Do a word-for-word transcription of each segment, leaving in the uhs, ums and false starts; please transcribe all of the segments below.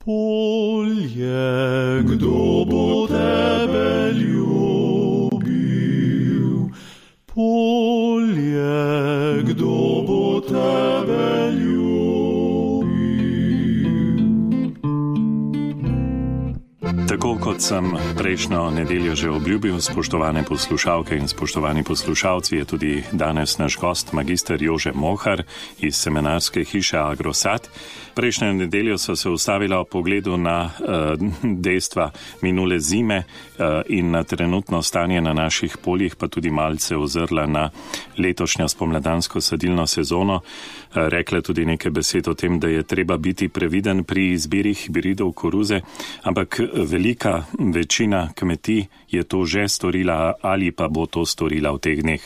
Polje, kdo bo tebe ljubil? Polje, kdo bo tebe ljubil? Tako kot sem prejšnjo nedeljo že obljubil, spoštovane poslušalke in spoštovani poslušalci, je tudi danes naš gost magister Jože Mohar iz seminarske hiše Agrosat. Prejšnjo nedeljo so se ustavila v pogledu na uh, dejstva minule zime uh, in na trenutno stanje na naših poljih, pa tudi malce ozrla na letošnjo spomladansko sadilno sezono. Uh, rekla tudi nekaj besed o tem, da je treba biti previden pri izbiri hibridov koruze, ampak velika večina kmetij je to že storila ali pa bo to storila v teh dneh.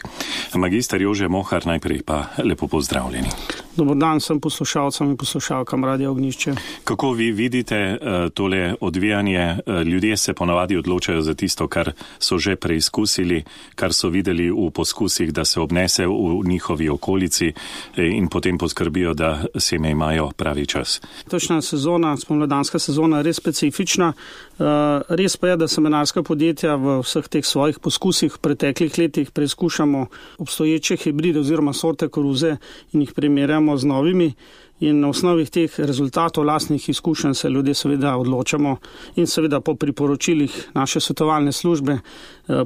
Magister Jože Mohar, najprej pa lepo pozdravljeni. Dobar dan sem poslušalcem in poslušalkam Radia Ognjišče. Kako vi vidite uh, tole odvijanje? Uh, ljudje se ponavadi odločajo za tisto, kar so že preizkusili, kar so videli v poskusih, da se obnese v njihovi okolici in potem poskrbijo, da seme imajo pravi čas. Točna sezona, spomladanska sezona je res specifična. Uh, res pa je, da semenarska podjetja v vseh teh svojih poskusih v preteklih letih preizkušamo obstoječe hibride oziroma sorte koruze in jih primerjamo z novimi. In na osnovi teh rezultatov lastnih izkušenj se ljudje seveda odločamo in seveda po priporočilih naše svetovalne službe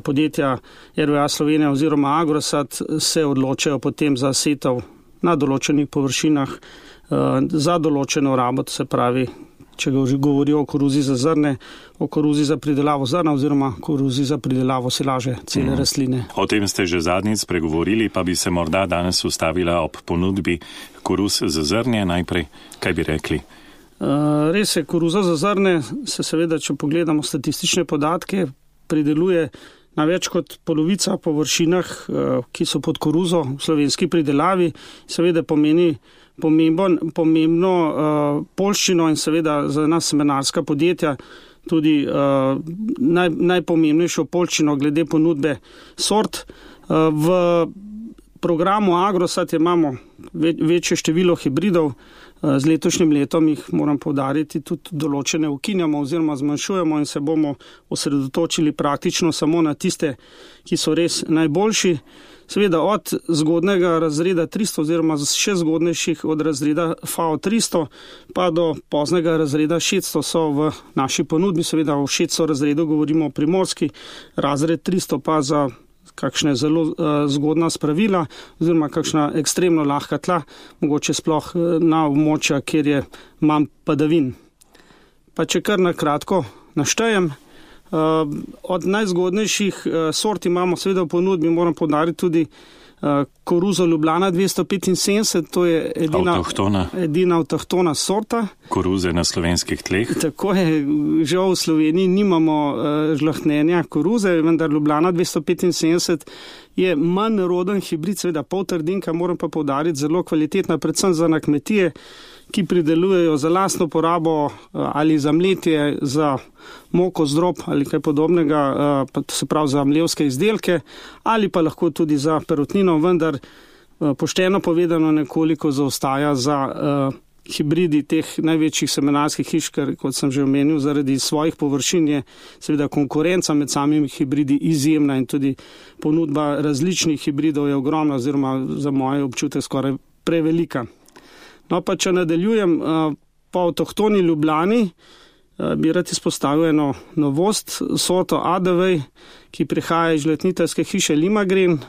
podjetja R W A Slovenija oziroma Agrosat se odločajo potem za setev na določenih površinah za določeno rabo, se pravi, če govorijo o koruzi za zrne, o koruzi za pridelavo zrna oziroma koruzi za pridelavo silaže cele mm. rastline. O tem ste že zadnjič spregovorili, pa bi se morda danes ustavila ob ponudbi koruz za zrnje. Najprej, kaj bi rekli? Uh, res je, koruza za zrne se seveda, če pogledamo statistične podatke, prideluje na več kot polovica površinah, uh, ki so pod koruzo v slovenski pridelavi, seveda pomeni Pomemben, pomembno uh, poljščino in seveda za nas semenarska podjetja tudi uh, naj, najpomembnejšo poljščino glede ponudbe sort. Uh, v programu Agrosat imamo ve, večje število hibridov. Uh, z letošnjim letom jih moram poudariti tudi določene ukinjamo oziroma zmanjšujemo in se bomo osredotočili praktično samo na tiste, ki so res najboljši. Seveda od zgodnega razreda tristo oziroma še zgodnejših od razreda F A O tristo pa do poznega razreda šeststo so v naši ponudbi. Seveda v šeststo razredu govorimo o primorski, razred tristo pa za kakšne zelo uh, zgodna spravila oziroma kakšna ekstremno lahka tla, mogoče sploh uh, na območja, kjer je manj padavin. Pa če kar na kratko naštejem, Uh, od najzgodnejših uh, sort imamo seveda v ponudbi, moram poudariti tudi uh, koruzo Ljubljana dvesto petinsedemdeset, to je edina avtohtona. edina avtohtona sorta. Koruze na slovenskih tleh. Tako je, žal v Sloveniji nimamo uh, žlahtnenja koruze, vendar Ljubljana dvesto petinsedemdeset je manj roden hibrid, seveda pol trdinka, moram pa poudariti, zelo kvalitetna, predvsem za na kmetije, ki pridelujejo za lastno porabo ali za mletje, za moko, zdrob ali kaj podobnega, se pravi za mlevske izdelke ali pa lahko tudi za perutnino, vendar pošteno povedano nekoliko zaostaja za hibridi teh največjih semenarskih hiš, ker, kot sem že omenil, zaradi svojih površin je seveda konkurenca med samimi hibridi izjemna in tudi ponudba različnih hibridov je ogromna oziroma za moj občutek skoraj prevelika. No pa če nadaljujem, po avtohtoni Ljubljani bi rad izpostavil eno novost, sorto A D V, ki prihaja iz žletniteljske hiše Limagren,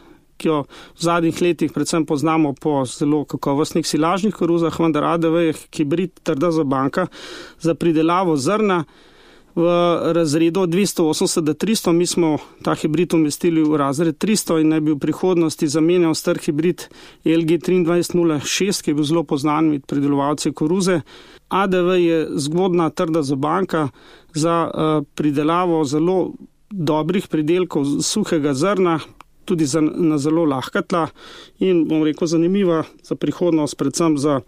ki jo v zadnjih letih predvsem poznamo po zelo kakovostnih silažnih koruzah, vendar A D V je hibrid trda zabanka za pridelavo zrna v razredu od dvesto osemdeset do tristo. Mi smo ta hibrid umestili v razred tristo in naj bi v prihodnosti zamenjal star hibrid L G dvajset nula šest, ki je bil zelo poznan med pridelovalci koruze. A D V je zgodna trda zabanka za uh, pridelavo zelo dobrih pridelkov suhega zrna, tudi za, na zelo lahka tla in, bom rekel, zanimiva za prihodnost, predvsem za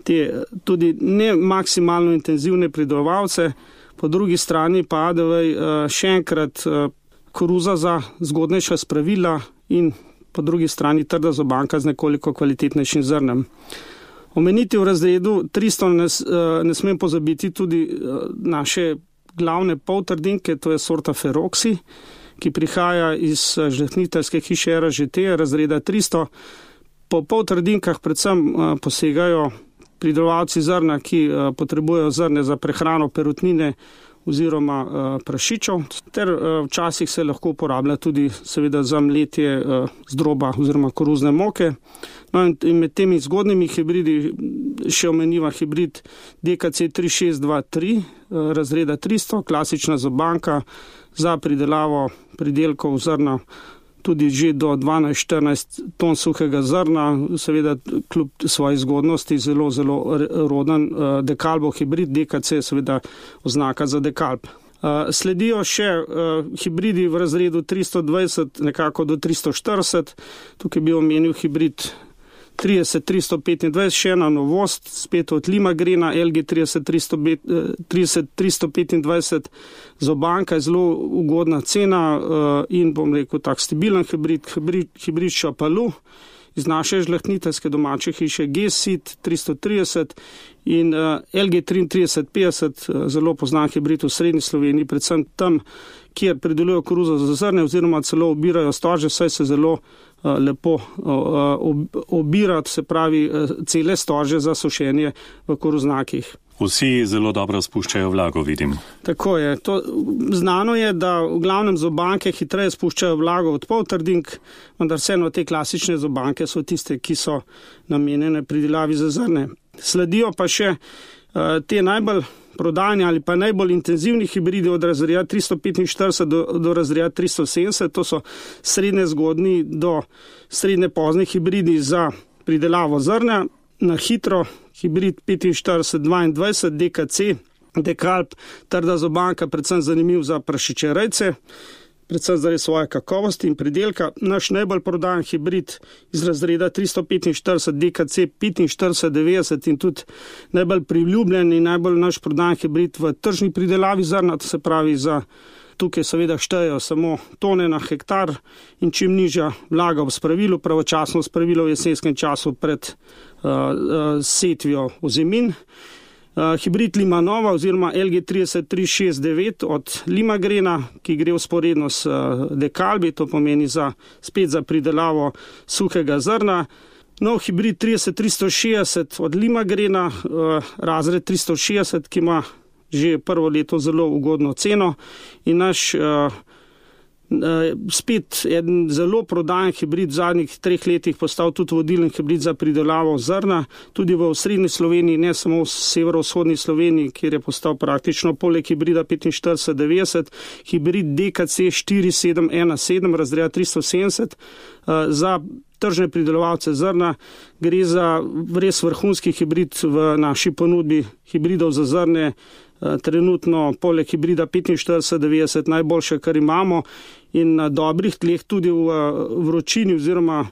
te tudi ne maksimalno intenzivne pridelovalce. Po drugi strani pa A D V še enkrat koruza za zgodnejša spravila in po drugi strani trda zabanka z nekoliko kvalitetnejšim zrnem. Omeniti v razredu tristo ne, ne smem pozabiti tudi naše glavne poltrdinke, to je sorta Feroxi, ki prihaja iz žlehtniteljske hiše R Ž T, razreda tristo. Po poltrdinkah predvsem posegajo pridelovalci zrna, ki potrebujejo zrne za prehrano perutnine oziroma prašičev, ter včasih se lahko uporablja tudi seveda za mletje zdroba oziroma koruzne moke. No in med temi zgodnimi hibridi še omeniva hibrid D K C tri šest dva tri razreda tristo, klasična zobanka za pridelavo pridelkov zrna, tudi že do dvanajst štirinajst ton suhega zrna, seveda kljub svoji zgodnosti zelo, zelo roden dekalbov hibrid, D K C seveda oznaka za dekalb. Sledijo še hibridi v razredu tristo dvajset nekako do tristo štirideset, tukaj bi omenil hibrid trideset tristo petindvajset, še ena novost, spet od Limagrena, L G trideset tristo petindvajset, zobanka je zelo ugodna cena in bom rekel tak stabilen hibrid, hibrid, hibrid Šapalu iz naše žlehtniteljske domače hiše G S I T tristo trideset in L G trideset petdeset, zelo poznan hibrid v srednji Sloveniji, predvsem tam, kjer pridelujejo koruzo za zrne oziroma celo obirajo storže, saj se zelo lepo obirati, se pravi cele storže za sušenje v koruznakih. Vsi zelo dobro spuščajo vlago, vidim. Tako je. To, znano je, da v glavnem zobanke hitreje spuščajo vlago od poltrdink, vendar vseeno te klasične zobanke so tiste, ki so namenjene pridelavi za zrne. Sledijo pa še uh, te najbolj prodajni ali pa najbolj intenzivni hibridi od razreda tristo petinštirideset do, do razreda tristo sedemdeset, to so srednje zgodni do srednje pozne hibridi za pridelavo zrna. Na hitro hibrid petinštirideset dvaindvajset D K C, dekalb, trda zobanka, predvsem zanimiv za prašičerejce, predvsem zaradi svoje kakovosti in pridelka. Naš najbolj prodajan hibrid iz razreda tristo petinštirideset D K C petinštirideset devetdeset in tudi najbolj priljubljen in najbolj naš prodajan hibrid v tržni pridelavi zrna, to se pravi za tukaj seveda štejejo samo tone na hektar in čim nižja vlaga v spravilu, pravočasno spravilo v jesenskem času pred uh, uh, setvijo ozemin. Uh, hibrid Limanova oziroma L G trideset tri šest devet od Limagrena, ki gre vzporedno s uh, dekalbi, to pomeni za, spet za pridelavo suhega zrna. Nov hibrid trideset tristo šestdeset od Limagrena, uh, razred tristo šestdeset, ki ima že prvo leto zelo ugodno ceno in naš uh, uh, spet eden zelo prodajen hibrid v zadnjih treh letih postal tudi vodilni hibrid za pridelavo zrna, tudi v srednji Sloveniji, ne samo v severovzhodni Sloveniji, kjer je postal praktično poleg hibrida petinštirideset devetdeset, hibrid D K C štiri sedem ena sedem razreda tristo sedemdeset uh, za tržne pridelovalce zrna. Gre za res vrhunski hibrid v naši ponudbi hibridov za zrne, trenutno poleg hibrida petinštirideset devetdeset najboljše, kar imamo in na dobrih tleh tudi v vročini oziroma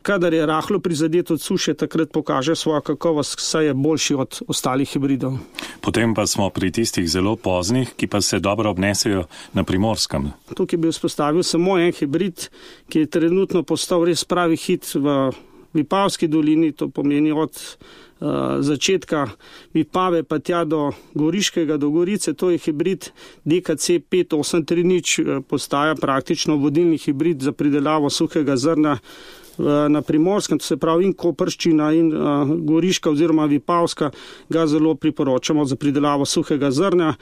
kadar je rahlo prizadet od suše, takrat pokaže svojo kakovost, saj je boljši od ostalih hibridov. Potem pa smo pri tistih zelo poznih, ki pa se dobro obnesejo na Primorskem. Tukaj bi vzpostavil samo en hibrid, ki je trenutno postal res pravi hit v Vipavski dolini, to pomeni od uh, začetka Vipave pa tja do Goriškega, do Gorice, to je hibrid D K C pet osem tri nič, postaja praktično vodilni hibrid za pridelavo suhega zrna na Primorskem, to se pravi in Koprščina in uh, Goriška oziroma Vipavska ga zelo priporočamo za pridelavo suhega zrna.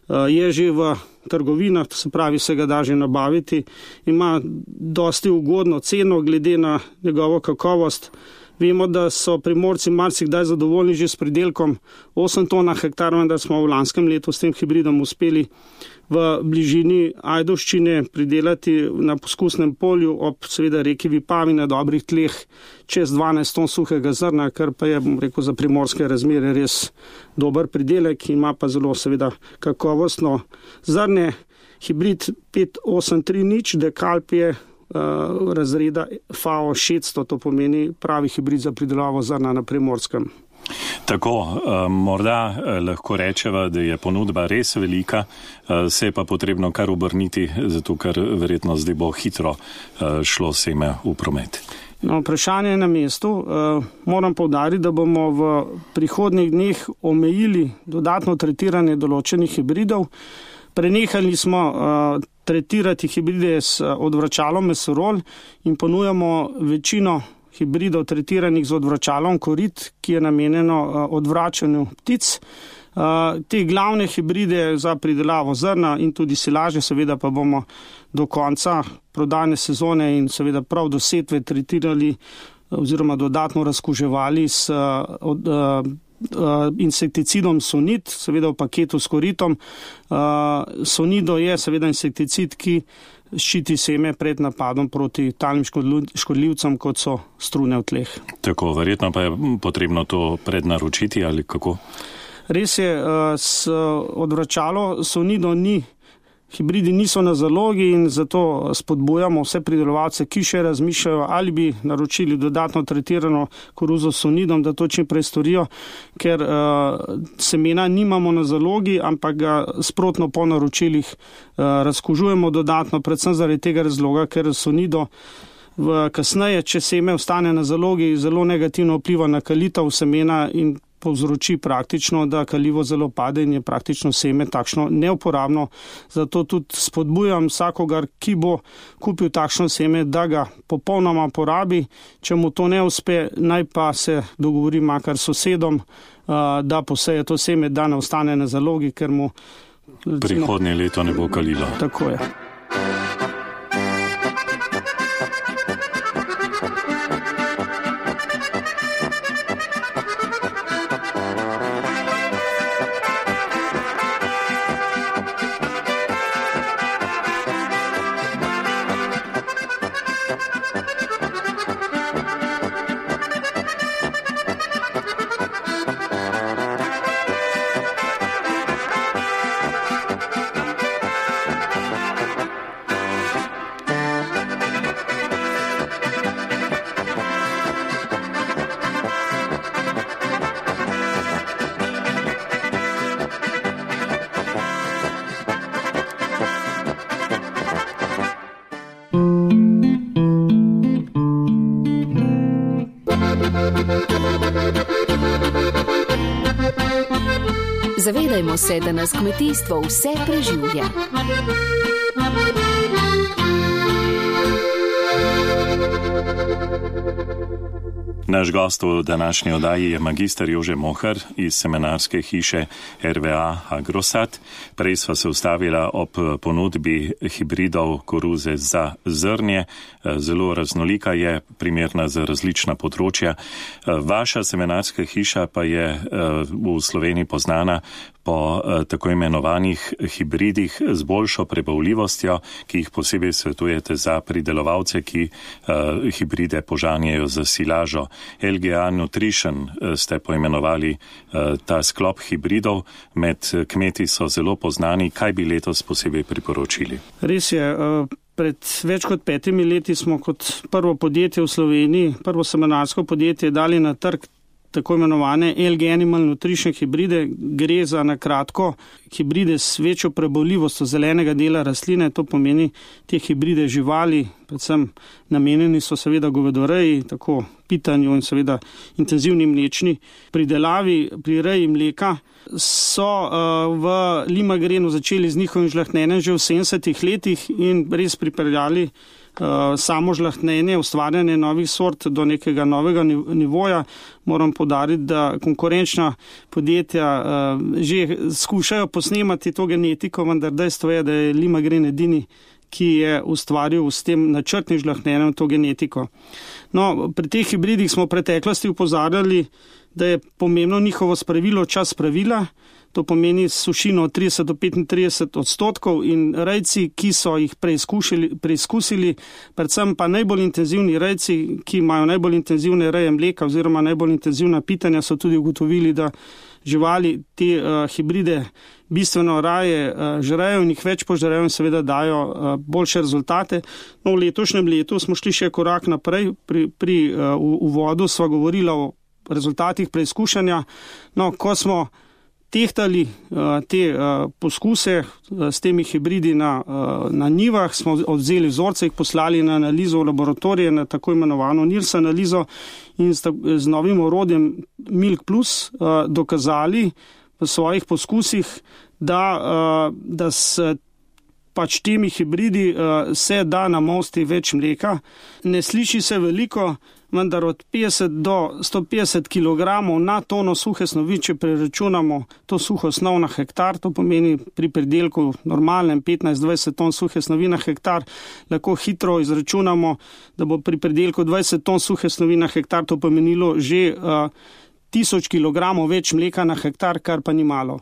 Uh, je že v trgovinah, to se pravi se ga da že nabaviti, ima dosti ugodno ceno glede na njegovo kakovost. Vemo, da so Primorci marsikdaj zadovoljni že s pridelkom osem ton na hektar, vendar smo v lanskem letu s tem hibridom uspeli v bližini Ajdovščine pridelati na poskusnem polju ob seveda reki Vipavi na dobrih tleh čez dvanajst ton suhega zrna, kar pa je, bom rekel, za primorske razmere res dober pridelek, ima pa zelo seveda kakovostno zrne. Hibrid pet osem tri nič, dekalb je uh, razreda F A O šeststo, to pomeni pravi hibrid za pridelavo zrna na Primorskem. Tako, morda lahko rečeva, da je ponudba res velika, se je pa potrebno kar obrniti, zato ker verjetno zdaj bo hitro šlo seme v promet. No, vprašanje je na mestu. Uh, moram poudariti, da bomo v prihodnjih dneh omejili dodatno tretiranje določenih hibridov. Prenehali smo uh, tretirati hibride s odvračalom mesorol in ponujamo večino hibridov tretiranih z odvračalom korit, ki je namenjeno uh, odvračanju ptic. Uh, te glavne hibride za pridelavo zrna in tudi silaže seveda pa bomo do konca prodajne sezone in seveda prav do setve tretirali oziroma dodatno razkuževali s uh, od, uh, uh, insekticidom Sonid, seveda v paketu s koritom. Uh, Sonido je seveda insekticid, ki ščiti seme pred napadom proti talnim škodljivcem, kot so strune v tleh. Tako, verjetno pa je potrebno to prednaročiti ali kako? Res je, s odvračalo Sonido ni, hibridi niso na zalogi in zato spodbujamo vse pridelovalce, ki še razmišljajo, ali bi naročili dodatno tretirano koruzo s Sonidom, da to čim prej storijo, ker uh, semena nimamo na zalogi, ampak ga sprotno po naročilih uh, razkužujemo dodatno, predvsem zaradi tega razloga, ker Sonido v kasneje, če seme ostane na zalogi, zelo negativno vpliva na kalitev semena in povzroči praktično, da kalivo zelo pade in je praktično seme takšno neuporabno. Zato tudi spodbujam vsakogar, ki bo kupil takšno seme, da ga popolnoma porabi. Če mu to ne uspe, naj pa se dogovori makar s sosedom, da poseje to seme, da ne ostane na zalogi, ker mu prihodnje leto ne bo kalilo. Tako je. Zavedajmo se, da nas kmetijstvo vse preživlja. Naš gost v današnji oddaji je magister Jože Mohar iz semenarske hiše R V A Agrosat. Prej sva se ustavila ob ponudbi hibridov koruze za zrnje. Zelo raznolika je, primerna za različna področja. Vaša semenarska hiša pa je v Sloveniji poznana po tako imenovanih hibridih z boljšo prebavljivostjo, ki jih posebej svetujete za pridelovalce, ki hibride požanjajo za silažo. L G A Nutrition ste poimenovali ta sklop hibridov, med kmeti so zelo poznani. Kaj bi letos posebej priporočili? Res je, pred več kot petimi leti smo kot prvo podjetje v Sloveniji, prvo semenarsko podjetje dali na trg tako imenovane L G Animal Nutrition hibride. Gre za na kratko hibride s večjo prebavljivostjo zelenega dela rastline, to pomeni te hibride živali, predvsem namenjeni so seveda govedoreji, tako pitanju in seveda intenzivni mlečni pridelavi. Pri reji mleka so uh, v Limagrenu začeli z njihovim žlahtnjenjem že v sedemdesetih letih in res pripeljali uh, samo žlahtnjenje, ustvarjanje novih sort do nekega novega nivoja. Moram poudariti, da konkurenčna podjetja uh, že skušajo posnemati to genetiko, vendar dejstvo je, da je Limagren edini, ki je ustvaril s tem načrtnim žlahtnjenjem to genetiko. No, pri teh hibridih smo v preteklosti upozarjali, da je pomembno njihovo spravilo čas pravila, to pomeni sušino od trideset do petintrideset odstotkov in rejci, ki so jih preizkusili, predvsem pa najbolj intenzivni rejci, ki imajo najbolj intenzivne reje mleka oziroma najbolj intenzivna pitanja, so tudi ugotovili, da živali te uh, hibride bistveno raje uh, žrejo in jih več požrejo in seveda dajo uh, boljše rezultate. No, v letošnjem letu smo šli še korak naprej. Pri, pri uh, uvodu sva govorila o rezultatih preizkušanja. No, ko smo tehtali te poskuse s temi hibridi na, na njivah, smo odzeli vzorce, jih poslali na analizo v laboratorije, na tako imenovano NIRS analizo in z novim orodjem Milk Plus dokazali v svojih poskusih, da, da s pač temi hibridi se da namosti več mleka. Ne sliši se veliko, vendar od petdeset do sto petdeset kilogramov na tono suhe snovi, če preračunamo to suho snov na hektar, to pomeni pri pridelku normalnem petnajst do dvajset ton suhe snovi na hektar, lahko hitro izračunamo, da bo pri pridelku dvajset ton suhe snovi na hektar to pomenilo že uh, tisoč kilogramov več mleka na hektar, kar pa ni malo.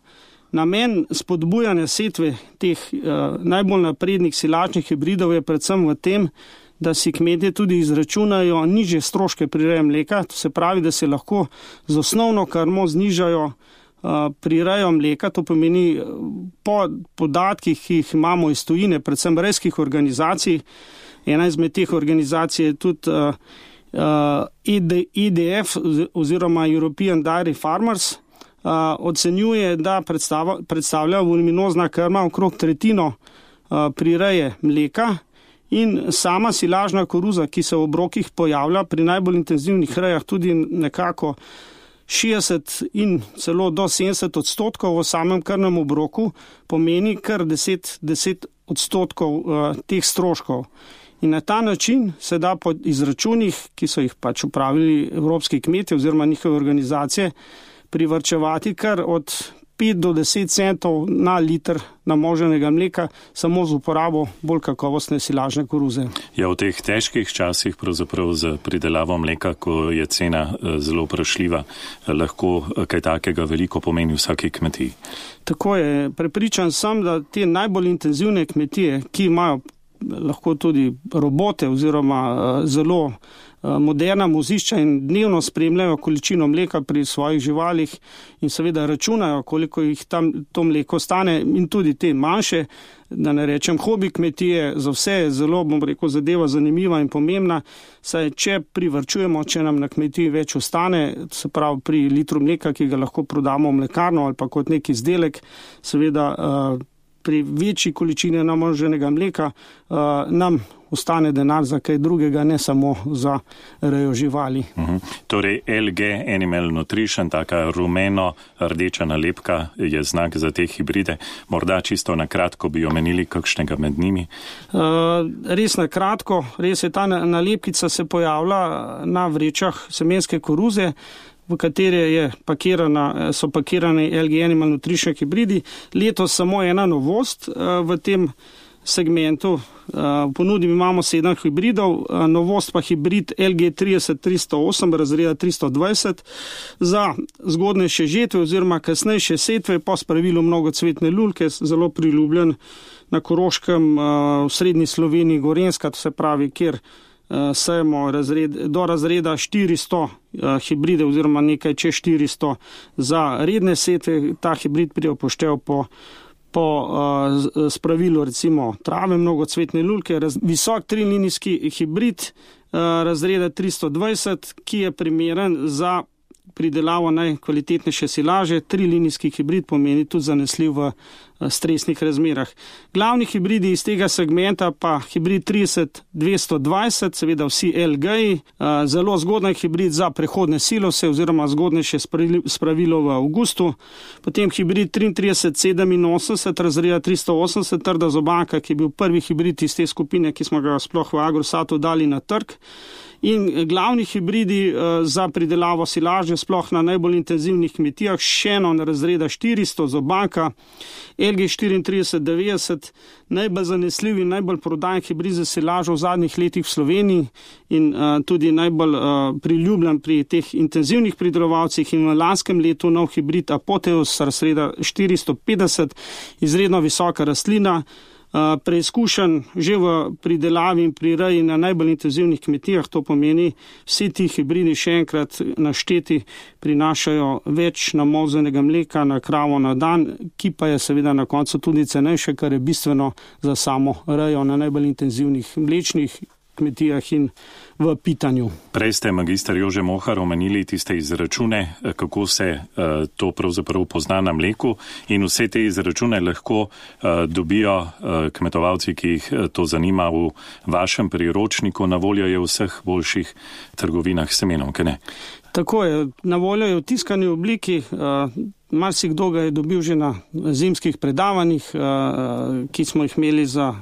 Namen spodbujanja setve teh uh, najbolj naprednih silačnih hibridov je predvsem v tem, da si kmetje tudi izračunajo nižje stroške prireje mleka, to se pravi, da se lahko z osnovno krmo znižajo uh, prirejo mleka, to pomeni po podatkih, ki jih imamo iz tujine, predvsem rejskih organizacij. Ena izmed teh organizacij je tudi uh, uh, E D F oziroma European Dairy Farmers, uh, ocenjuje, da predstava, predstavlja voluminozna krma okrog tretjino uh, prireje mleka. In sama silažna koruza, ki se v obrokih pojavlja pri najbolj intenzivnih rejah tudi nekako šestdeset in celo do sedemdeset odstotkov v samem krmnem obroku, pomeni kar deset, deset odstotkov uh, teh stroškov. In na ta način se da po izračunih, ki so jih pač upravili evropski kmetje oziroma njihove organizacije, privarčevati kar od pet do deset centov na liter namoženega mleka samo z uporabo bolj kakovostne silažne koruze. Ja, v teh težkih časih pravzaprav za pridelavo mleka, ko je cena zelo vprašljiva, lahko kaj takega veliko pomeni vsaki kmetiji. Tako je. Prepričan sem, da te najbolj intenzivne kmetije, ki imajo lahko tudi robote oziroma zelo moderna vozišča in dnevno spremljajo količino mleka pri svojih živalih in seveda računajo, koliko jih tam to mleko stane, in tudi te manjše, da ne rečem hobi kmetije, za vse je zelo, bom rekel, zadeva zanimiva in pomembna, saj če privarčujemo, če nam na kmetiji več ostane, se pravi pri litru mleka, ki ga lahko prodamo v mlekarno ali pa kot nek izdelek, seveda pri večji količini namoženega mleka nam ostane denar za kaj drugega, ne samo za rejo živali. Uhum. Torej L G Animal Nutrition, taka rumeno-rdeča nalepka je znak za te hibride. Morda čisto na kratko bi omenili kakšnega med njimi? Uh, res na kratko, res je ta nalepkica se pojavlja na vrečah semenske koruze, v katere je pakirana, so pakirane L G Animal Nutrition hibridi. Letos samo ena novost uh, v tem segmentu. V ponudbi imamo sedem hibridov, novost pa hibrid L G trideset tristo osem razreda tristo dvajset za zgodnejše žetve oziroma kasnejše setve po spravilu mnogocvetne lulke, zelo priljubljen na Koroškem, v srednji Sloveniji, Gorenjska, to se pravi, kjer sejemo razred, do razreda štiristo hibride oziroma nekaj čez štiristo za redne setve. Ta hibrid pride v poštev po po uh, spravilu recimo trave mnogocvetne lulke, raz, visok trilinijski hibrid uh, razreda tristo dvajset, ki je primeren za pridelavo najkvalitetnejše silaže. Trilinijski hibrid pomeni tudi zanesljiv v stresnih razmerah. Glavni hibridi iz tega segmenta pa hibrid trideset dvesto dvajset, seveda vsi L G-ji, zelo zgodnji hibrid za prehodne silose oziroma zgodnejše spravilo v avgustu, potem hibrid triintrideset sedeminosemdeset razreda tristo osemdeset, trda zobanka, ki je bil prvi hibrid iz te skupine, ki smo ga sploh v Agrosatu dali na trg. In glavni hibridi uh, za pridelavo silaže sploh na najbolj intenzivnih kmetijah, še eno razreda štiristo, zobanka, L G štiriintrideset devetdeset, najbolj zanesljiv in najbolj prodajen hibrid za silažo v zadnjih letih v Sloveniji in uh, tudi najbolj uh, priljubljen pri teh intenzivnih pridelovalcih, in v lanskem letu nov hibrid Apoteus razreda štiristo petdeset, izredno visoka rastlina, Uh, preizkušen že v pridelavi in prireji na najbolj intenzivnih kmetijah. To pomeni, vsi ti hibridi še enkrat našteti prinašajo več namozenega mleka na kravo na dan, ki pa je seveda na koncu tudi cenejše, kar je bistveno za samo rejo na najbolj intenzivnih mlečnih kmetijah in v pitanju. Prej ste, magister Jože Mohar, omenili tiste izračune, kako se uh, to pravzaprav pozna na mleku, in vse te izračune lahko uh, dobijo uh, kmetovalci, ki jih to zanima, v vašem priročniku. Na voljo je v vseh boljših trgovinah s semenom, kaj ne? Tako je, na voljo je v tiskani obliki, uh, marsikdo ga je dobil že na zimskih predavanjih, uh, ki smo jih imeli za uh,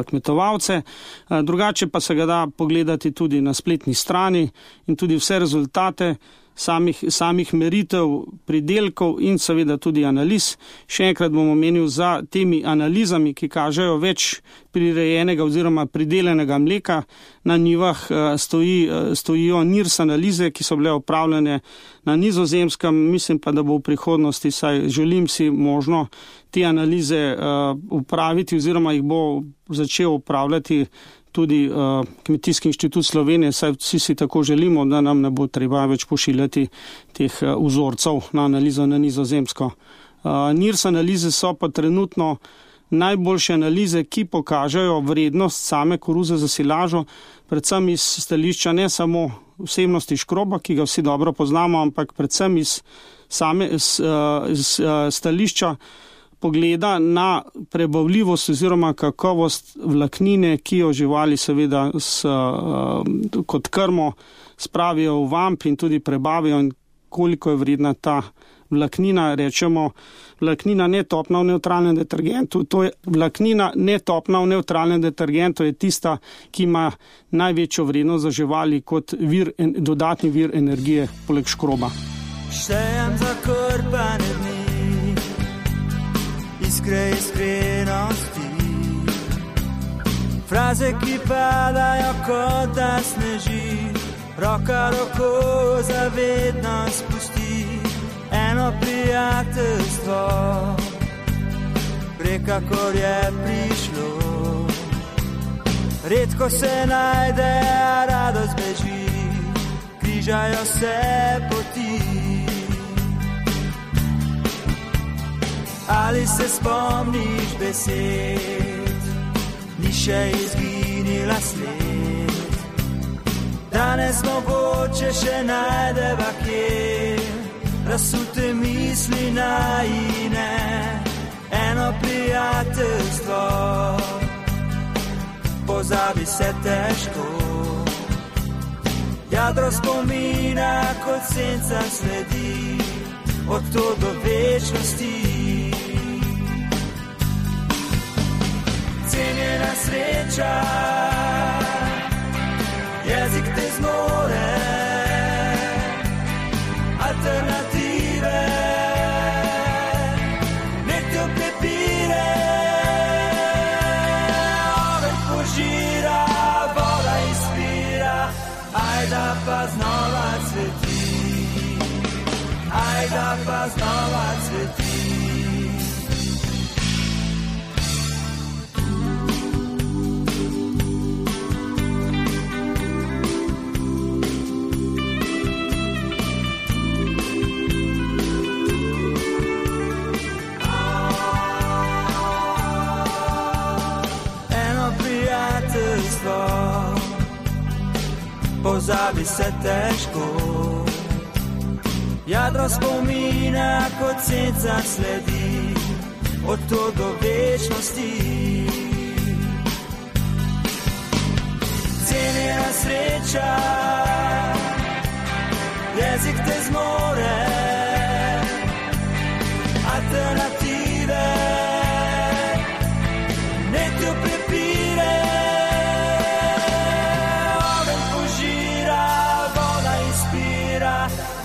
kmetovalce, uh, drugače pa se ga da pogledati tudi na spletni strani in tudi vse rezultate samih, samih meritev, pridelkov in seveda tudi analiz. Še enkrat bom omenil, za temi analizami, ki kažejo več prirejenega oziroma pridelenega mleka na njivah, stoji, stojijo N I R S analize, ki so bile opravljene na Nizozemskem. Mislim pa, da bo v prihodnosti, saj želim si možno te analize upraviti oziroma jih bo začel upravljati tudi uh, Kmetijski inštitut Slovenije, saj vsi si tako želimo, da nam ne bo treba več pošiljati teh uh, vzorcev na analizo na Nizozemsko. Uh, N I R S analize so pa trenutno najboljše analize, ki pokažejo vrednost same koruze za silažo, predvsem iz stališča ne samo vsebnosti škroba, ki ga vsi dobro poznamo, ampak predvsem iz same iz, uh, iz, uh, stališča pogleda na prebavljivost oziroma kakovost vlaknine, ki jo živali seveda s, uh, kot krmo spravijo v vamp in tudi prebavijo, in koliko je vredna ta vlaknina. Rečemo, vlaknina netopna v nevtralnem detergentu, to je vlaknina netopna v nevtralnem detergentu je tista, ki ima največjo vrednost za živali kot vir, dodatni vir energije poleg škroba. Štejem za krpane dni, iskre iskrenosti, fraze, ki padajo kot da sneži, roka roko zavedno spusti, eno prijateljstvo, prekakor je prišlo, redko se najde, a radost beži, križajo se poti. Ali se spomniš besed, ni še izginila sled, danes mogoče še najdeva kje, razsute misli najine, eno prijateljstvo, pozabi se težko, jadro spomina kot senca sledi, od to do večnosti. Cenjena sreča, jezik te zmore, alternative, nek te prepire, ogenj požira, voda izpira, ajda pa znova cveti, ajda pa znova cveti. Pozabi se težko, jadro spomina kot senca sledi, od to do večnosti. Cenjena sreča, jezik te zmore, alternative, ne te prepire,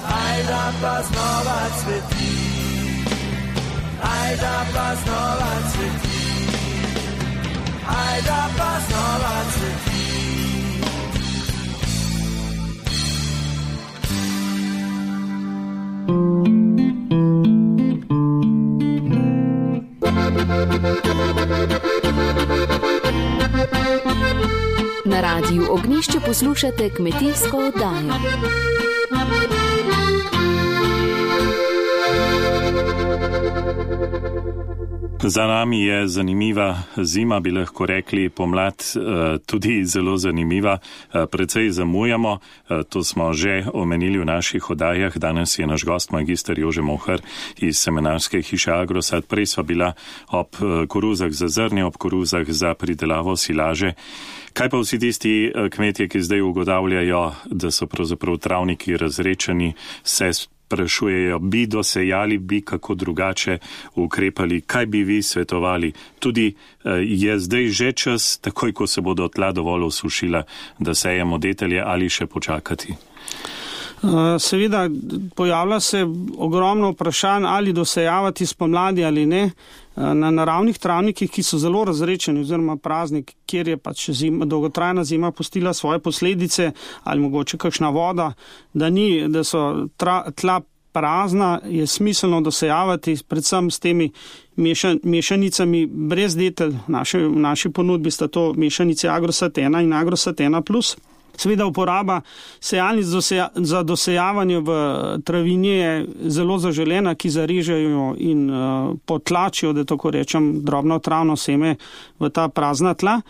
ajda pa znova cveti, ajda pa znova cveti, ajda pa znova cveti. Na Radiu Ognjišče poslušate kmetijsko oddajo. Za nami je zanimiva zima, bi lahko rekli, pomlad tudi zelo zanimiva. Precej zamujamo, to smo že omenili v naših oddajah. Danes je naš gost magister Jože Mohar iz semenarske hiše Agrosat. Prej sva bila ob koruzah za zrnje, ob koruzah za pridelavo silaže. Kaj pa vsi tisti kmetje, ki zdaj ugotavljajo, da so pravzaprav travniki razrečeni, se sprašujejo, bi dosejali, bi kako drugače ukrepali, kaj bi vi svetovali? Tudi je zdaj že čas, takoj ko se bodo tla dovolj osušila, da sejemo detelje ali še počakati? Seveda pojavlja se ogromno vprašanj, ali dosejavati spomladi ali ne. Na naravnih travnikih, ki so zelo razrečeni oziroma prazni, kjer je pač zima, dolgotrajna zima pustila svoje posledice ali mogoče kakšna voda, da, ni, da so tra, tla prazna, je smiselno dosejavati predvsem s temi mešan, mešanicami brez detelj. V naši ponudbi sta to mešanice Agrosat ena in Agrosat ena plus. Seveda uporaba sejalnic za dosejavanje v travinje je zelo zaželena, ki zarežejo in uh, potlačijo, da tako rečem, drobno travno seme v ta prazna tla.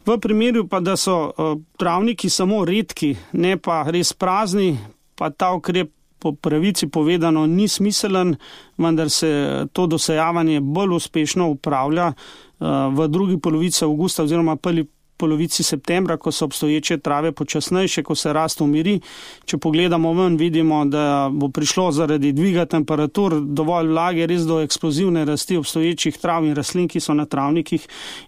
V primeru pa, da so uh, travniki samo redki, ne pa res prazni, pa ta ukrep po pravici povedano ni smiselen, vendar se to dosejavanje bolj uspešno upravlja uh, v drugi polovici avgusta oziroma prvi polovici septembra, ko so obstoječe trave počasnejše, ko se rast umiri. Če pogledamo ven, vidimo, da bo prišlo zaradi dviga temperatur dovolj vlage res do eksplozivne rasti obstoječih trav in rastlin, ki so na travnikih,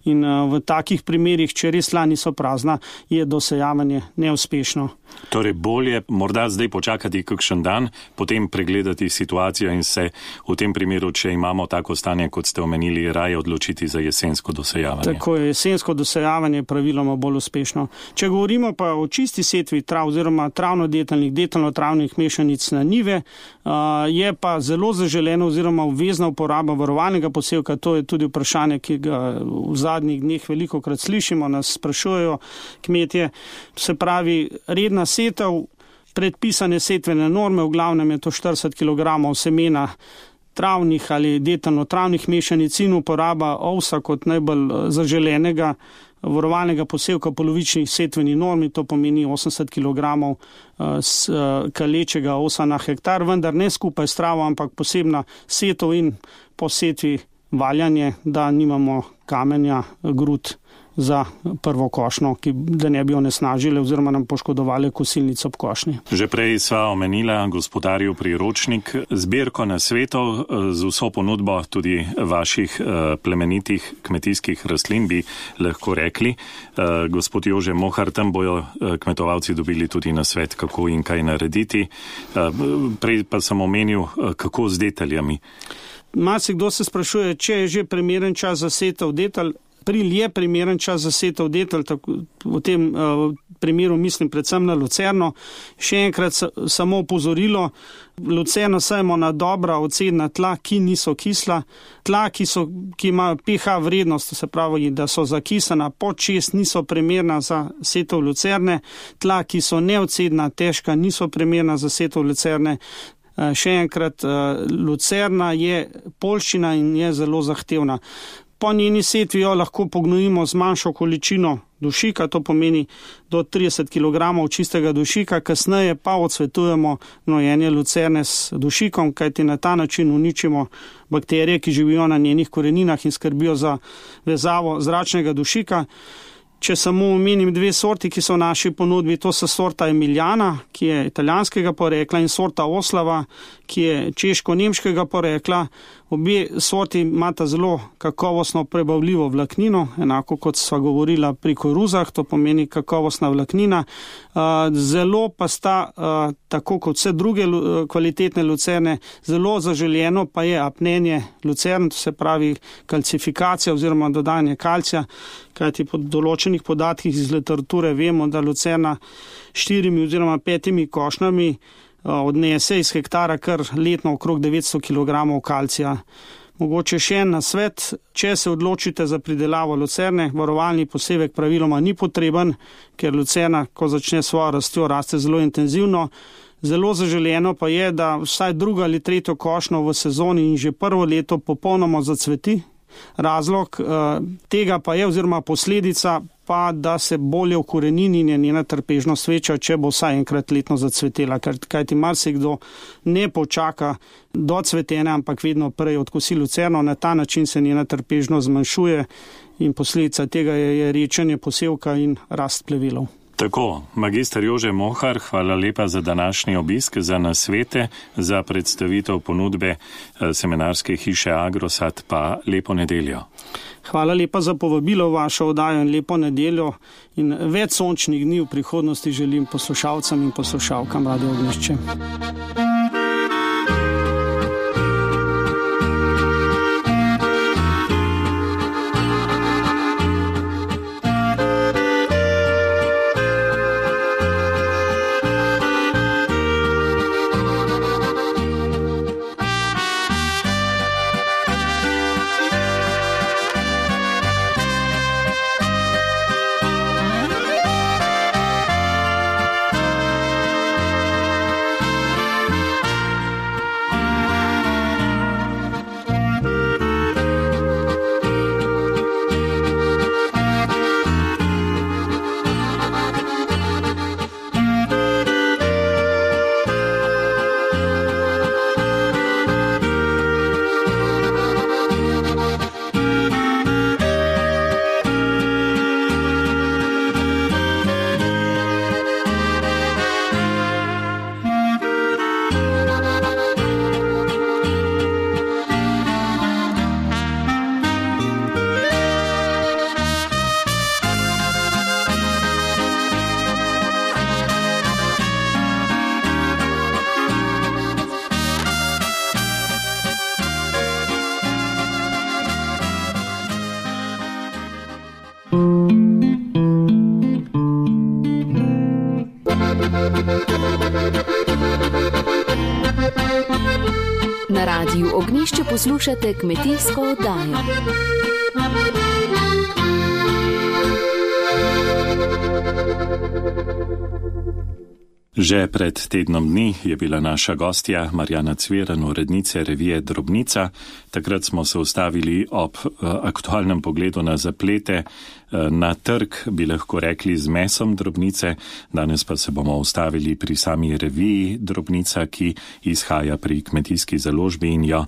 in v takih primerih, če res tla niso prazna, je dosejavanje neuspešno. Torej bolje morda zdaj počakati kakšen dan, potem pregledati situacijo in se v tem primeru, če imamo tako stanje, kot ste omenili, raje odločiti za jesensko dosejavanje. Tako je, jesensko dosejavanje praviloma bolj uspešno. Če govorimo pa o čisti setvi trav oziroma travno-deteljnih, deteljno-travnih mešanic na njive, je pa zelo zaželeno oziroma obvezna uporaba varovalnega posevka. To je tudi vprašanje, ki ga v zadnjih dneh velikokrat slišimo, nas sprašujejo kmetje. Se pravi, redna setev, predpisane setvene norme, v glavnem je to štirideset kilogramov semena travnih ali deteljno-travnih mešanic in uporaba ovsa kot najbolj zaželenega varovalnega posevka polovičnih setvenih normi, to pomeni osemdeset kilogramov kalečega ovsa na hektar, vendar ne skupaj s travo, ampak posebna setev in po setvi valjanje, da nimamo kamenja, grud za prvo košnjo, ki da ne bi onesnažile oziroma nam poškodovali kosilnico ob košnji. Že prej sva omenila gospodarjev priročnik, zbirko nasvetov z vso ponudbo tudi vaših plemenitih kmetijskih rastlin, bi lahko rekli. Gospod Jože Mohar, tam bojo kmetovalci dobili tudi nasvet, kako in kaj narediti. Prej pa sem omenil, kako z deteljami. Marsikdo se sprašuje, če je že primeren čas za setev detelj. April je primeren čas za setev detelj, v tem uh, primeru mislim predvsem na lucerno. Še enkrat samo opozorilo, lucerno sajemo na dobra odcedna tla, ki niso kisla. Tla, ki, so, ki imajo pH vrednost, se pravi, da so zakisana pod šest, niso primerna za setev lucerne. Tla, ki so neodcedna, težka, niso primerna za setev lucerne. Uh, še enkrat, uh, lucerna je poljščina in je zelo zahtevna. Po njeni setvi jo lahko pognojimo z manjšo količino dušika, to pomeni do trideset kilogramov čistega dušika, kasneje pa odsvetujemo gnojenje lucerne s dušikom, kajti na ta način uničimo bakterije, ki živijo na njenih koreninah in skrbijo za vezavo zračnega dušika. Če samo omenim dve sorti, ki so v naši ponudbi, to so sorta Emiliana, ki je italijanskega porekla, in sorta Oslava, ki je češko-nemškega porekla. Obe sorti imata zelo kakovostno prebavljivo vlaknino, enako kot sva govorila pri koruzah, to pomeni kakovostna vlaknina. Zelo pa sta, tako kot vse druge kvalitetne lucerne, zelo zaželjeno pa je apnenje lucern, to se pravi kalcifikacija oziroma dodajanje kalcija, kajti po določenih podatkih iz literature vemo, da lucerna štirimi oziroma petimi košnjami odnese iz hektara kar letno okrog devetsto kilogramov kalcija. Mogoče še en nasvet, če se odločite za pridelavo lucerne, varovalni posevek praviloma ni potreben, ker lucerna, ko začne svojo rastjo, raste zelo intenzivno. Zelo zaželjeno pa je, da vsaj drugo ali tretjo košnjo v sezoni in že prvo leto popolnoma zacveti, Razlog tega pa je oziroma posledica pa, da se bolje ukorenini in je njena trpežnost večja, če bo vsaj enkrat letno zacvetela, kajti marsikdo ne počaka do cvetenja, ampak vedno prej odkosi lucerno, na ta način se njena trpežnost zmanjšuje in posledica tega je, je rečenje posevka in rast plevelov. Tako, magister Jože Mohar, hvala lepa za današnji obisk, za nasvete, za predstavitev ponudbe semenarske hiše Agrosat, pa lepo nedeljo. Hvala lepa za povabilo v vašo oddajo in lepo nedeljo in več sončnih dni v prihodnosti želim poslušalcem in poslušalkam Radio Ognjišče. Na Radiu Ognjišče poslušate kmetijsko oddajo. Že pred tednom dni je bila naša gostja Marjana Cviran, urednice revije Drobnica. Takrat smo se ustavili ob aktualnem pogledu na zaplete na trg, bi lahko rekli, z mesom Drobnice. Danes pa se bomo ustavili pri sami reviji Drobnica, ki izhaja pri kmetijski založbi in jo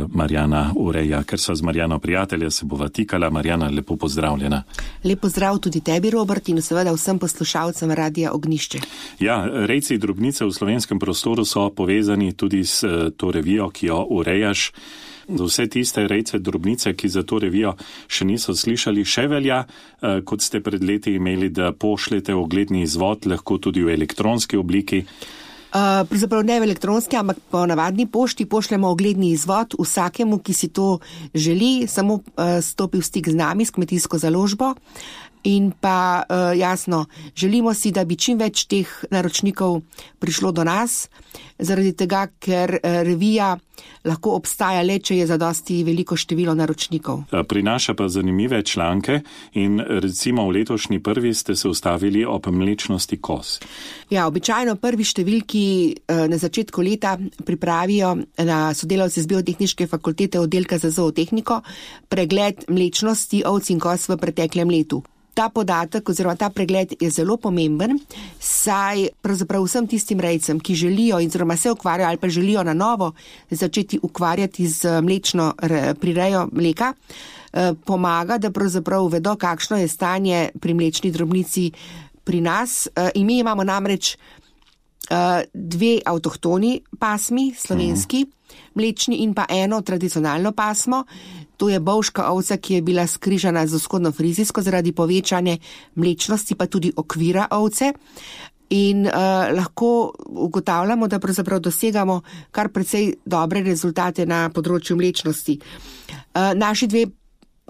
Marjana ureja. Ker so z Marjano prijatelja, se bova tikala. Marjana, lepo pozdravljena. Lep pozdrav tudi tebi, Robert, in seveda vsem poslušalcem Radia Ognjišče. Ja, rejci Drobnice v slovenskem prostoru so povezani tudi s to revijo, ki jo urejaš. Za vse tiste rejce Drobnice, ki za to revijo še niso slišali, še velja, kot ste pred leti imeli, da pošljete ogledni izvod, lahko tudi v elektronski obliki. Uh, Pravzaprav ne v elektronski, ampak po navadni pošti pošljemo ogledni izvod vsakemu, ki si to želi, samo uh, stopi v stik z nami, s kmetijsko založbo. In pa uh, jasno, želimo si, da bi čim več teh naročnikov prišlo do nas, zaradi tega, ker uh, revija lahko obstaja le, če je zadosti veliko število naročnikov. Prinaša pa zanimive članke in recimo v letošnji prvi ste se ustavili ob mlečnosti koz. Ja, običajno prvi številki uh, na začetku leta pripravijo na sodelavci z Biotehniške fakultete oddelka za zootehniko pregled mlečnosti ovc in koz v preteklem letu. Ta podatek oziroma ta pregled je zelo pomemben, saj pravzaprav vsem tistim rejcem, ki želijo oziroma se ukvarjajo ali pa želijo na novo začeti ukvarjati z mlečno prirejo mleka, pomaga, da pravzaprav vedo, kakšno je stanje pri mlečni drobnici pri nas. In mi imamo namreč dve avtohtoni pasmi, slovenski, mlečni in pa eno tradicionalno pasmo. To je bovška ovca, ki je bila skrižana z vzhodno-frizijsko zaradi povečanja mlečnosti, pa tudi okvira ovce. In uh, lahko ugotavljamo, da pravzaprav dosegamo kar precej dobre rezultate na področju mlečnosti. Uh, naši dve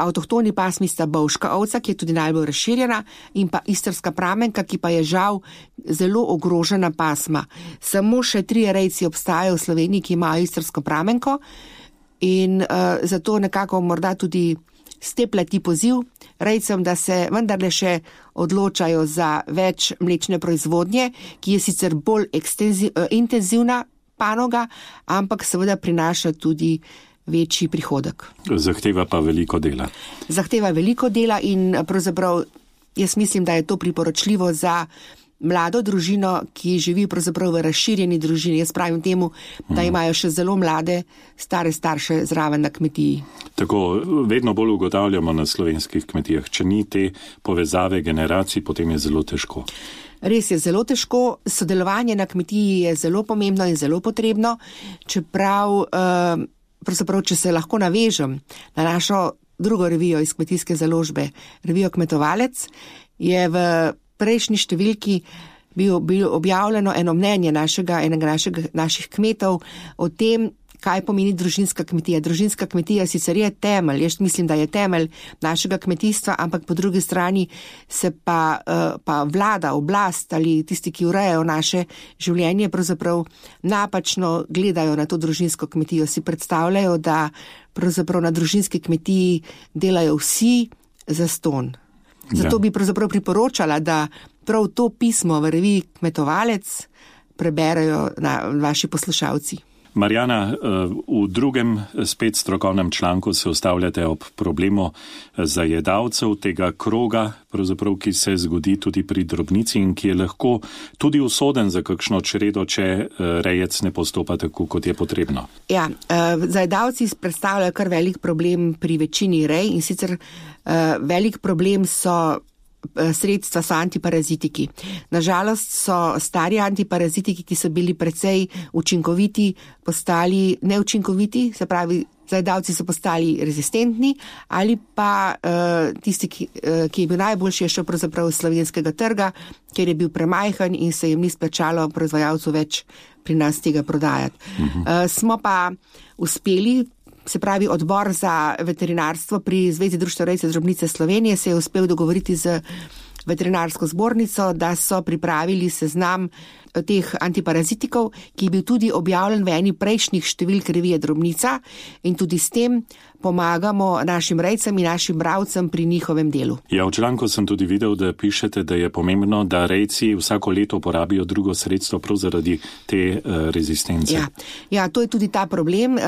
avtohtoni pasmi sta bovška ovca, ki je tudi najbolj razširjena, in pa istrska pramenka, ki pa je žal zelo ogrožena pasma. Samo še tri rejci obstajajo v Sloveniji, ki imajo istrsko pramenko. In uh, zato nekako morda tudi steplati poziv rejcem, da se vendarle še odločajo za več mlečne proizvodnje, ki je sicer bolj ekstenzi, uh, intenzivna panoga, ampak seveda prinaša tudi večji prihodek. Zahteva pa veliko dela. Zahteva veliko dela in pravzaprav jaz mislim, da je to priporočljivo za mlado družino, ki živi pravzaprav v razširjeni družini. Jaz pravim temu, da imajo še zelo mlade, stare starše zraven na kmetiji. Tako, vedno bolj ugotavljamo na slovenskih kmetijah, če ni te povezave generacij, potem je zelo težko. Res je zelo težko, sodelovanje na kmetiji je zelo pomembno in zelo potrebno, čeprav, eh, pravzaprav, če se lahko navežem na našo drugo revijo iz kmetijske založbe, revijo Kmetovalec, je v prejšnji številki bil, bil objavljeno eno mnenje našega, enega našega, naših kmetov o tem, kaj pomeni družinska kmetija. Družinska kmetija sicer je temelj, jaz mislim, da je temelj našega kmetijstva, ampak po drugi strani se pa, pa vlada, oblast ali tisti, ki urejajo naše življenje, pravzaprav napačno gledajo na to družinsko kmetijo. Si predstavljajo, da pravzaprav na družinski kmetiji delajo vsi zastonj. Zato bi pravzaprav priporočala, da prav to pismo v reviji Kmetovalec preberajo na vaši poslušalci. Marjana, v drugem spet strokovnem članku se ustavljate ob problemu zajedavcev tega kroga, pravzaprav, ki se zgodi tudi pri drobnici in ki je lahko tudi usoden za kakšno čredo, če rejec ne postopa tako, kot je potrebno. Ja, zajedavci predstavljajo kar velik problem pri večini rej in sicer velik problem so sredstva so antiparazitiki. Nažalost so stari antiparazitiki, ki so bili precej učinkoviti, postali neučinkoviti, se pravi, zajedavci so postali rezistentni ali pa uh, tisti, ki, uh, ki je bil najboljši, je šel pravzaprav iz slovenskega trga, ker je bil premajhen in se jim ni splačalo proizvajalcu več pri nas tega prodajati. Uh-huh. Uh, smo pa uspeli, se pravi, odbor za veterinarstvo pri Zvezi društev rejcev drobnice Slovenije se je uspel dogovoriti z veterinarsko zbornico, da so pripravili seznam teh antiparazitikov, ki je bil tudi objavljen v eni prejšnjih številk revije Drobnica in tudi s tem pomagamo našim rejcem in našim bravcem pri njihovem delu. Ja, v članku sem tudi videl, da pišete, da je pomembno, da rejci vsako leto porabijo drugo sredstvo prav zaradi te uh, rezistence. Ja, ja, to je tudi ta problem.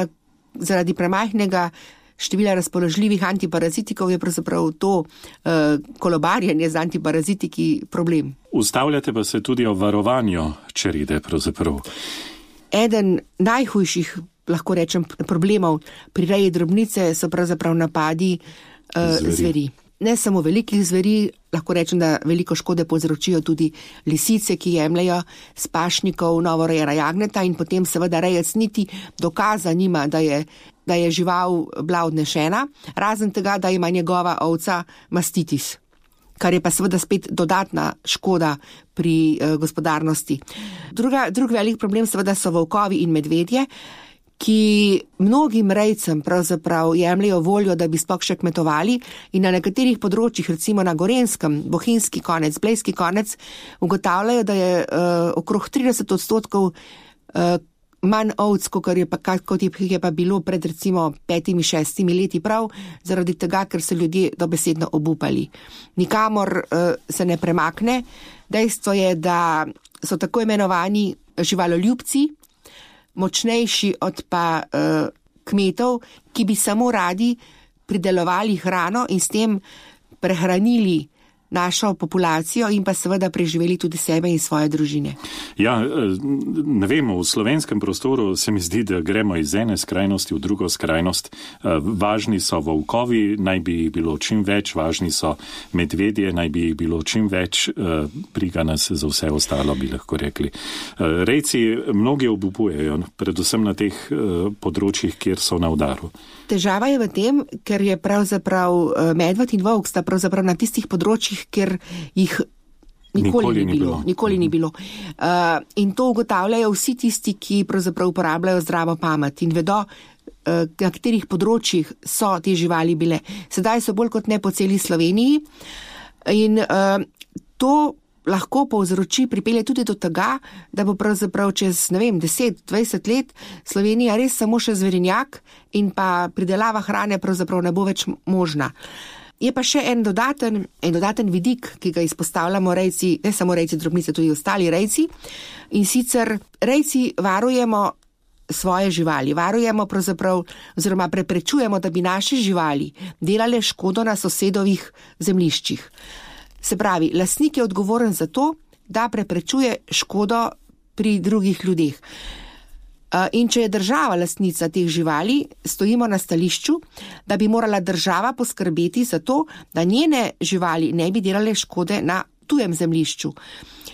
Zaradi premajhnega števila razpoložljivih antiparazitikov je pravzaprav to uh, kolobarjenje z antiparazitiki problem. Ustavljate pa se tudi o varovanju črede pravzaprav. Eden najhujših, lahko rečem, problemov pri reji drobnice so pravzaprav napadi uh, zveri. zveri. Ne samo velikih zveri, lahko rečem, da veliko škode povzročijo tudi lisice, ki jemljajo s pašnikov novorejena jagneta in potem seveda rejec niti dokaza nima, da je, da je žival bila odnešena, razen tega, da ima njegova ovca mastitis, kar je pa seveda spet dodatna škoda pri eh, gospodarnosti. Druga, drug velik problem seveda so volkovi in medvedje, ki mnogim rejcem pravzaprav jemljajo voljo, da bi sploh še kmetovali in na nekaterih področjih, recimo na Gorenjskem, Bohinjski konec, Blejski konec, ugotavljajo, da je uh, okrog trideset odstotkov uh, manj ovc, kot je, pa, kot je pa bilo pred recimo petimi, šestimi leti prav, zaradi tega, ker so ljudje dobesedno obupali. Nikamor uh, se ne premakne. Dejstvo je, da so tako imenovani živaloljubci, močnejši od pa uh, kmetov, ki bi samo radi pridelovali hrano in s tem prehranili našo populacijo in pa seveda preživeli tudi sebe in svoje družine. Ja, ne vem, v slovenskem prostoru se mi zdi, da gremo iz ene skrajnosti v drugo skrajnost. Važni so volkovi, naj bi jih bilo čim več, važni so medvedje, naj bi jih bilo čim več, briga nas za vse ostalo, bi lahko rekli. Rejci mnogi obupujejo, predvsem na teh področjih, kjer so na udaru. Težava je v tem, ker je pravzaprav medved in volk sta pravzaprav na tistih področjih, ker jih nikoli, nikoli ni bilo. Nikoli ni bilo. Uh, in to ugotavljajo vsi tisti, ki pravzaprav uporabljajo zdravo pamet in vedo, uh, na katerih področjih so te živali bile. Sedaj so bolj kot ne po celi Sloveniji in uh, to lahko povzroči, pripelje tudi do tega, da bo pravzaprav čez, ne vem, deset, dvajset let Slovenija res samo še zverinjak in pa pridelava hrane pravzaprav ne bo več možna. Je pa še en dodaten, en dodaten vidik, ki ga izpostavljamo rejci, ne samo rejci drobnice, tudi ostali rejci. In sicer rejci varujemo svoje živali. Varujemo pravzaprav oziroma preprečujemo, da bi naše živali delale škodo na sosedovih zemljiščih. Se pravi, lastnik je odgovoren za to, da preprečuje škodo pri drugih ljudeh. In če je država lastnica teh živali, stojimo na stališču, da bi morala država poskrbeti za to, da njene živali ne bi delale škode na tujem zemljišču.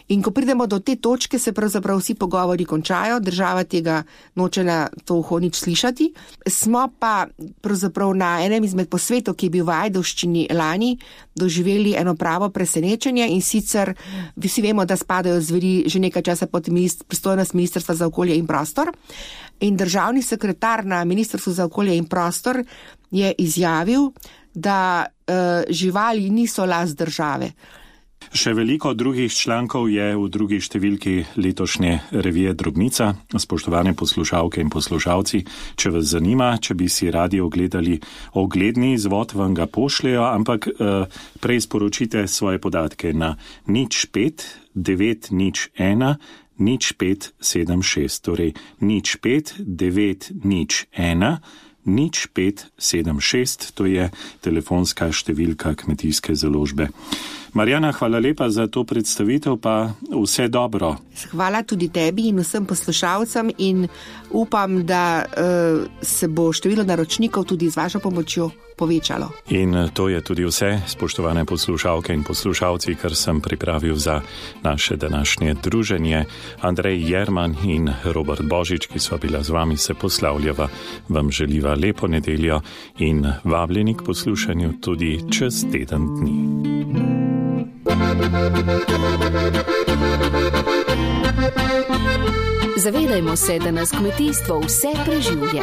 In ko pridemo do te točke, se pravzaprav vsi pogovori končajo, država tega noče na to uho nič slišati. Smo pa pravzaprav na enem izmed posvetov, ki je bil v Ajdovščini lani, doživeli eno pravo presenečenje in sicer vsi vemo, da spadajo zveri že nekaj časa pod pristojnost Ministrstva za okolje in prostor. In državni sekretar na Ministrstvu za okolje in prostor je izjavil, da uh, živali niso last države. Še veliko drugih člankov je v drugi številki letošnje revije Drobnica. Spoštovane poslušalke in poslušalci, če vas zanima, če bi si radi ogledali ogledni izvod, vam ga pošljajo, ampak eh, prej sporočite svoje podatke na nič pet devet nič ena nič pet sedem šest, torej nič pet devet nič ena nič pet sedem šest, to je telefonska številka Kmetijske založbe. Marjana, hvala lepa za to predstavitev, pa vse dobro. Hvala tudi tebi in vsem poslušalcem in upam, da uh, se bo število naročnikov tudi z vašo pomočjo povečalo. In to je tudi vse, spoštovane poslušalke in poslušalci, kar sem pripravil za naše današnje druženje. Andrej Jerman in Robert Božič, ki sva bila z vami, se poslavljava, vam želiva lepo nedeljo in vabljeni k poslušanju tudi čez teden dni. Zavedajmo se, da nas kmetijstvo vse preživlja.